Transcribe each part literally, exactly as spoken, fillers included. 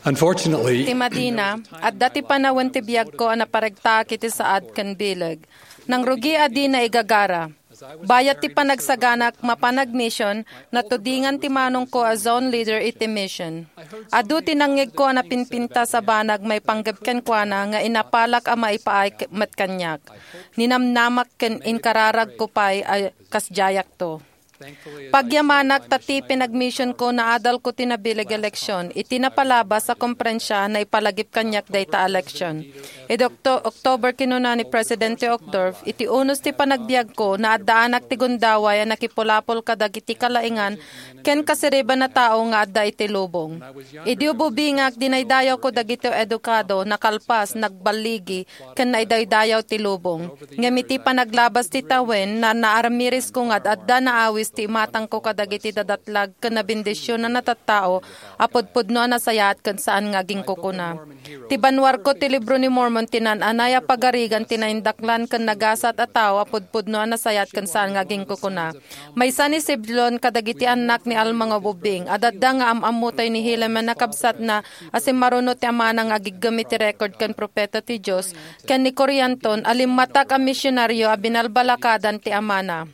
Unfortunately, ti madina, adda ti panawen ti biagko a naparegtaak iti saad ken bileg. Nangrugi a dina igagara. Bayat ti panagsaganak mapan agmission, natudingan ti manongko a zone leader iti mission. Adu ti nangngegko a napinpintas a banag maipanggep kenkuana nga inapalak a maipaay k-, met kaniak. Ninamnamak ken inkararagko pay a kasdiayakto. Pagyamanak ta ti pinagmissionko naadalko ti nabileg a eleksyon iti napalabas a komperensia naipalagip kaniak dayta a eleksyon. Idi Okto-, October, kinuna ni Presidente Uchtdorf, iti unos ti panagbiagko, naaddaanak ti gundaway a nakipulapol kadagiti kalaingan ken kasiriban a tao nga adda iti lubong. Idi ububingak, dinaydayawko dagiti edukado, nakalpas, nagballigi, ken naidaydayaw ti lubong. Ngem iti panaglabas ti tawen, na-, naaramiresko nga ad-adda naawis ti imatangko kadagiti dadatlag ken nabendisionan a tattao a pudpudno a nasayaat ken saan nga aginkukuna. Ti banwarko ti Libro ni Mormon ti naan-anay a pagarigan ti naindaklan ken nagasat a tao a pudpudno a nasayaat ken saan nga aginkukuna. Maysa ni Siblon kadagiti annak ni Alma nga ububing. Ad-adda nga am-ammotayo ni Helaman a kabsatna a simmaruno ti amana nga agiggem iti record ken propeta ti Dios, ken ni Corianton a limmatak a misionario a binalbalakadan ti amana.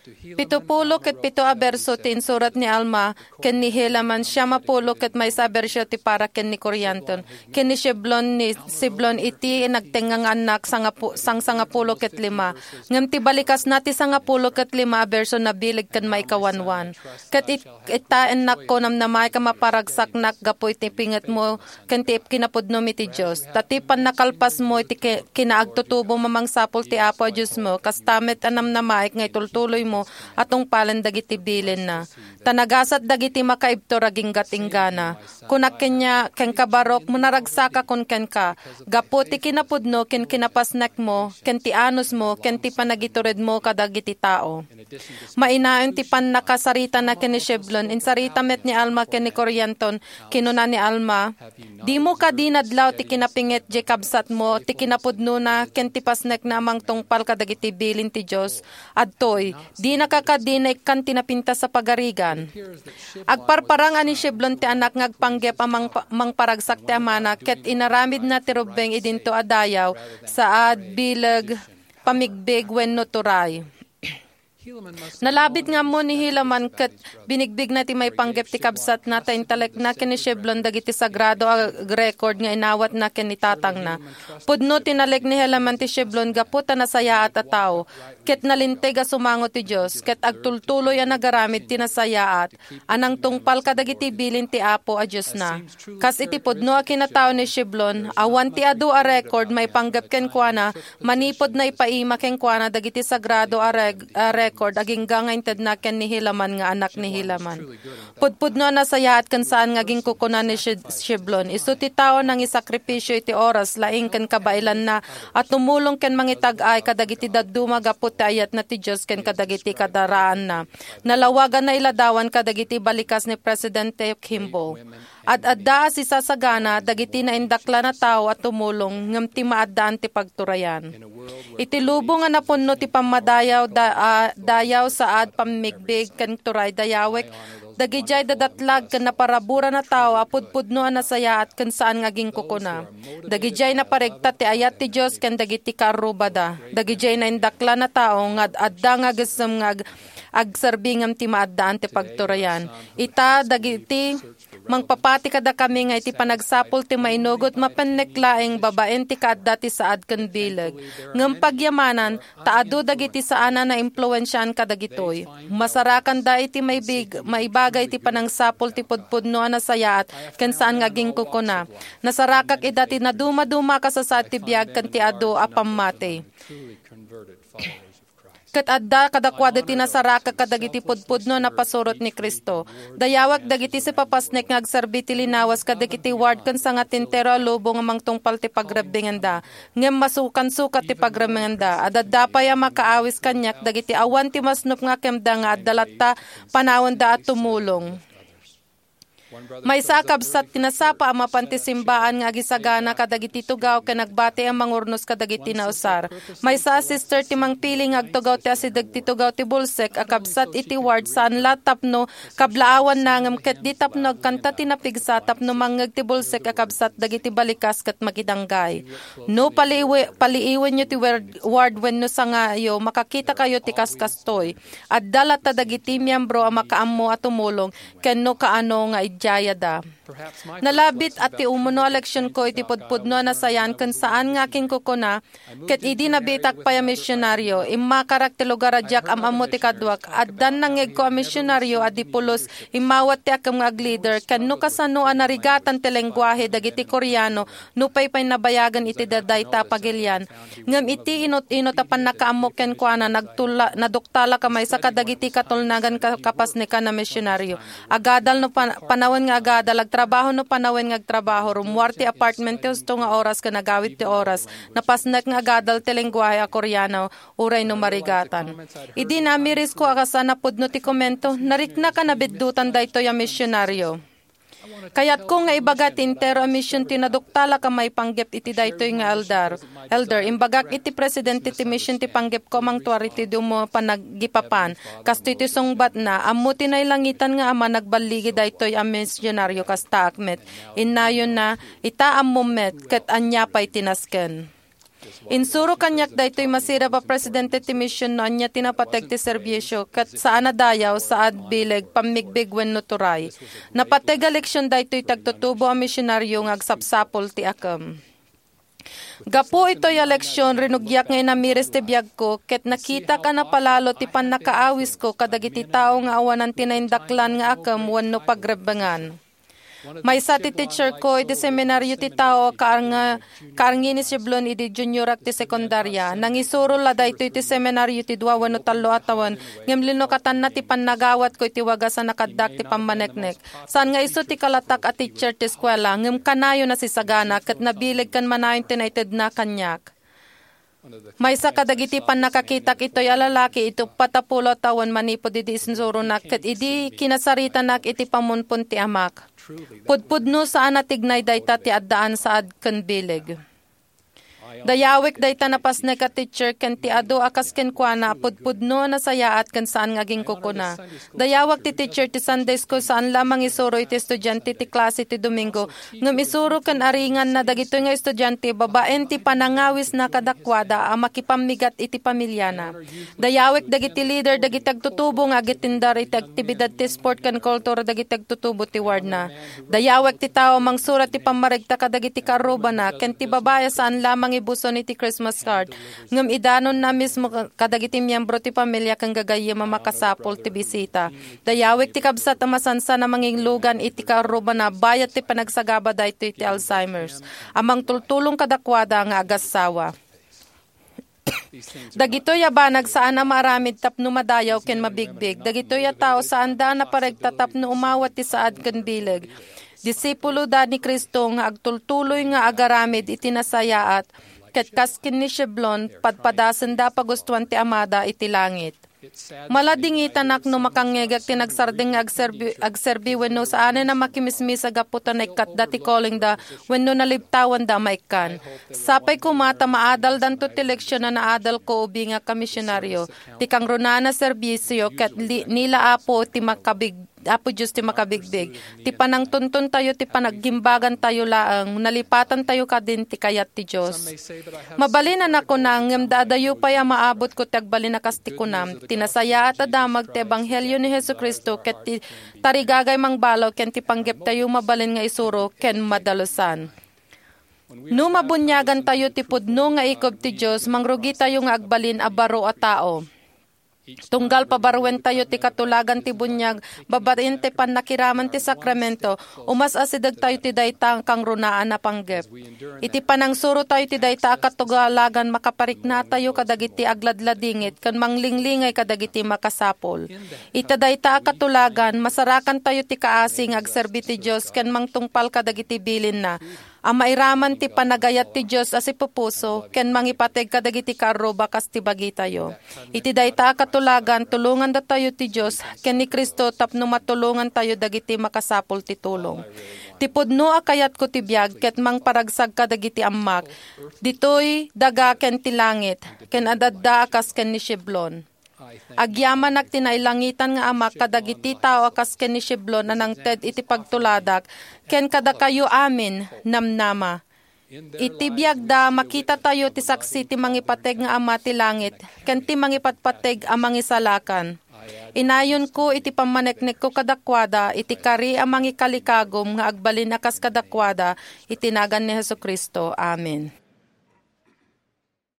Pitupulo ket pito a berso ti insurat ni Alma ken ni Helaman, siam a pulo ket maysa a berso ti para ken ni Corianton, ken ni Siblon, ni Siblon iti nagtengnga nga annak, sangapu-, sang sangapulo ket lima. Ngem ti balikasna ti sangapulo ket lima a berso nabileg ken maikawanwan. Ket it-, ita, ennakko, namnamaek a maparagsaknak gapu iti pingetmo ken ti kinapudnom iti Dios. Ta ti pannakalpasmo iti ki-, kinaagtutubom a mangsapul ti Apo a Diosmo, kasta met a namnamaek nga itultuloymo a tungpalen dagiti bilinna. Ta nagasat dagiti makaibtur agingga inggana. Kunak kenia, kenka, Baruch, manaragsakakon kenka, gapu ti kinapudno ken kinapasnekmo, ken ti anusmo, ken ti panagituredmo kadagiti tao. Mainayon ti pannakasaritana ken ni Shiblon, insarita met ni Alma ken ni Corianton. Kinuna ni Alma, "Dimo kadi nadlaw ti kinapinget diay kabsatmo, ti kinapudnona, ken ti pasnekna a mangtungpal kadagiti bilin ti Dios? Adtoy, dinaka kadi naikkan ti napintas a pagarigan?" Agparparang a ni Shiblon ti anak nga agpanggep a mangpa-, mangparagsak ti amana, ket inaramidna ti rubbeng idinto a dayaw, saad, bileg, pamigbig, wenno turay. Nalabit nga ammo ni Helaman ket binigbigna ti maipanggep ti kabsatna ta intalekna ken ni Shiblon dagiti sagrado a record nga inawatna ken ni tatangna. Pudno ti nalek ni Helaman ti Shiblon gapu ta nasayaat a tao, ket nalinteg a sumango ti Dios, ket agtultuloy a nagaramid ti nasayaat a nangtungpal kadagiti bilin ti Apo a Diosna. Kas iti pudno a kinatao ni Shiblon, awan ti adu a record maipanggep kenkuana manipud naipaima kenkuana dagiti sagrado a reg-, a record agingga nga intedna ken ni Helaman nga anak ni Helaman. Pudpudno a nasayaat ken saan nga aginkukuna ni Shi-, Shiblon. Isu ti tao nangisakripisio iti oras, laing ken kabaelanna a tumulong ken mangitag-ay kadagiti dadduma gapu ti ayatna ti Dios ken kadagiti kadaraanna. Nalawaganna iladawan kadagiti balikas ni Presidente Kimball. Ad-adda a sisasagana dagiti naindaklan a tao a tumulong ngem ti maaddaan ti pagturayan. Iti lubong a napunno ti pammadayaw da-, a dayaw, saad, pammigbig, ken turay dayawek, dagidiay dadatlag ken naparaburan a tao a pudpudno a nasayaat ken saan nga aginkukuna. Dagidiay naparegta ti ayat ti Dios ken dagiti kaarrubada. Dagidiay naindaklan a tao nga ad-adda nga agessem nga ag-, agserbi ngem ti maaddaan ti pagturayan. Ita, dagiti mangpapati kadakami nga iti panagsapul ti mainugot mapennek laeng babaen ti kaadda ti saad ken bileg. Ngem pagyamanan, ta adu dagiti saan a naimpluensiaan kadagitoy. Masarakanda iti maibig-, maibaga iti panangsapul ti pudpudno a nasayaat ken saan nga aginkukuna. Nasarakak ida ti nadumaduma a kasasaad ti biag ken ti adu a pammati. Ket adda kadakuada ti nasarakak kadagiti pudpudno a napasurot ni Cristo. Dayawek dagiti sipapasnek nga agserbi ti linawas kadagiti ward ken sangatentero a lubong a mangtungpal ti pagrebbengenda. Ngem masukansukat ti pagrebbengenda. Ad-adda pay a makaawis kaniak dagiti awan ti masnop nga kemda nga adda latta panawenda a tumulong. Maysa a kabsat ti nasapa a mapan ti simbaan nga agisagana kadagiti tugaw ken agbati a mangurnos kadagiti nausar. Maysa a sister ti mangpili nga agtugaw ti asideg ti tugaw ti bulsek a kabsat iti ward saan la tapno kablaawanna ngem ket di tapno agkanta ti napigsa tapno mangngeg ti bulsek a kabsat dagiti balikas ket makidanggay. No paliiwe-, paliiwenyo ti wer-, ward wenno sangayo, makakitakayo ti kaskastoy. Adda latta dagiti miyembro a makaammo a tumulong ken no kaano nga idiayada. Nalabit a ti umuno a leksionko iti pudpudno a nasayaat ken saan nga akinkukuna, ket idi nabiitak pay a misionaryo, immakarak ti lugar a diak am-ammo ti kaduak. Addan nangngegko a misionaryo a di pulos immawat ti akem nga aglider, ken no kasano a narigatan ti lengguahe dagiti Koreano nupay pay nabayagen iti dadayta a pagilian. Ngem iti inut-inut a pannakaammo kenkuana, nagtula-, naduktalak a maysa kadagiti katulnagan ka-, kapasnekan a misionaryo. Agadal no pan-, panawen nga agadal, agtrabaho no panawen nga agtrabaho, rummuar ti apartment ti husto nga oras ken agawid ti oras. Napasnek nga agadal ti lengguahe a Koreano, uray no marigatan. Idi naamirisko a kasano a pudno ti komento, nariknak a nabiddutan daytoy a misionaryo. Kayatko nga ibaga ti entero a mision ti naduktalak a maipanggep iti daytoy nga elder. Elder, imbagak iti presidente ti mision ti panggepko a mangtuar iti dumo a panaggipapan. Kastoy ti sungbatna, ammo ti nailangitan nga Ama nagballigi daytoy a misionaryo kastaak met. Innayonna, ita ammom met, ket ania pay ti nasken? Insuro kaniak daytoy masirib a presidente ti mision no ania ti napateg ti serbisio, ket saan a dayaw, saad, bileg, pammigbig wenno turay. Napateg a leksion daytoy ti agtutubo a misionaryo nga agsapsapul ti akem. Gapu itoy a leksion, rinugiak nga inamiris ti biagko, ket nakitak a napalalo ti pannakaawisko kadagiti tao nga awanan ti naindaklan nga akem wenno pagrebbengan. Maysa ti teacher ko iti seminario ti tao a kaarnga-, kaarngi ni Siblon idi juniorak ti sekundaria. Nangisuro la daytoy ti seminario ti dua wenno tallo a tawen, ngem linukatanna ti pannagawatko iti wagas a nakaddak ti pammaneknek. Saan nga isu ti kalatak a teacher ti eskuela, ngem kanayon a sisagana ket nabileg ken manayon ti naitedna kaniak. Maysa kadagiti pannakakitak itoy a lalaki iti uppat a pulo a tawen manipud idi insuronak ket idi kinasaritanak iti pamunpon ti amak. Pudpudno, saan a tignay dayta ti addaan saad ken bileg. Dayawek dayta napasnek a teacher ken ti adu a kas kenkuana a pudpudno a nasayaat ken saan nga aginkukuna. Dayawak ti teacher ti Sunday school saan la mangisuro iti estudiante ti klase ti Domingo, ngem isuro ken aringanna dagitoy nga estudiante babaen ti panangawisna kadakuada a makipammigat iti pamiliana. Dayawek dagiti leader dagiti agtutubo nga agitindar iti aktibidad ti sport ken kultura dagiti agtutubo ti wardna. Dayawek ti tao a mangsurat ti pammaregta kadagiti kaarrubana ken ti babai a saan la mangibuson iti Christmas card, ngem idanonna mismo kadagiti miembro ti pamilia ken gagayyem a makasapul ti bisita. Dayawek ti kabsat a masansan a manginglugan iti kaarrubana bayat ti panagsagaba daytoy ti Alzheimer's a mangtultulong kadakuada nga agassawa. Dagitoy a banag saan a maaramid tapno madayaw ken mabigbig. Dagitoy a tao saanda a naparegta tapno umawat ti saad ken bileg. Disipuloda ni Cristo nga agtultuloy nga agaramid iti nasayaat, ket kas ken ni Sheblon, padpadasenda a pagustuan ti Amada iti langit. Maladingitanak no makangngegak ti nagsardeng nga agserbi, agserbi wenno saanen a makimismis a gapu ta naikkatda ti callingda wenno nalibtawanda a maikkan. Sapay koma ta maadaldanto ti leksion a naadalko ubingak a misionaryo. Ti kangrunaan a serbisio ket li-, ni la Apo ti makabig-, Apo Dios ti makabigbig. Ti panangtuntontayo ti panaggimbagantayo laeng, nalipatantayo kadin ti kayat ti Dios. Mabalin a nakuna, ngem da adayo pay a maabutko ti agbalin a kas ti kunam. Ti nasayaat a damag ti ebanghelio ni Jesu-Cristo ket ti tarigagay mangbalo ken ti panggeptayo mabalin nga isuro ken madalusan. No mabuniagantayo ti pudno nga ikub ti Dios, mangrugitayo nga agbalin a baro a tao. Tunggal pabaruentayo ti katulagan ti buniag babaen ti pannakiraman ti sakramento, umas-asidegtayo ti dayta a kangrunaan a panggep. Iti panangsurotayo ti dayta a katulagan, makapariknatayo kadagiti agladladingit ken manglinglingay kadagiti makasapul. Ita dayta a katulagan, masarakantayo ti kaasi nga agserbi ti Dios ken mangtungpal kadagiti bilinna. a mairaman ti panagayat ti Dios a sipupuso ken mangipateg kadagiti kaarruba kas ti bagitayo. Iti dayta a katulagan, tulongandatayo ti Dios ken ni Cristo tapno matulongantayo dagiti makasapul ti tulong. Ti pudno a kayatko ti biag ket mangparagsak kadagiti ammak, ditoy daga ken ti langit, ken ad-adda a kas ken ni Sheblon. Agyamanak ti nailangitan nga Amak kadagiti tao a kas ken ni Sheblon a nangted iti pagtuladak, ken kadakayo amin, namnama. Iti biagda, makitatayo ti saksi ti mangipateg nga Ama ti langit ken ti mangipatpateg a Mangisalakan. Inayonko iti pammaneknekko kadakuada iti kari a mangikalikagum nga agbalin a kas kadakuada, iti nagan ni Jesu-Cristo. Amen.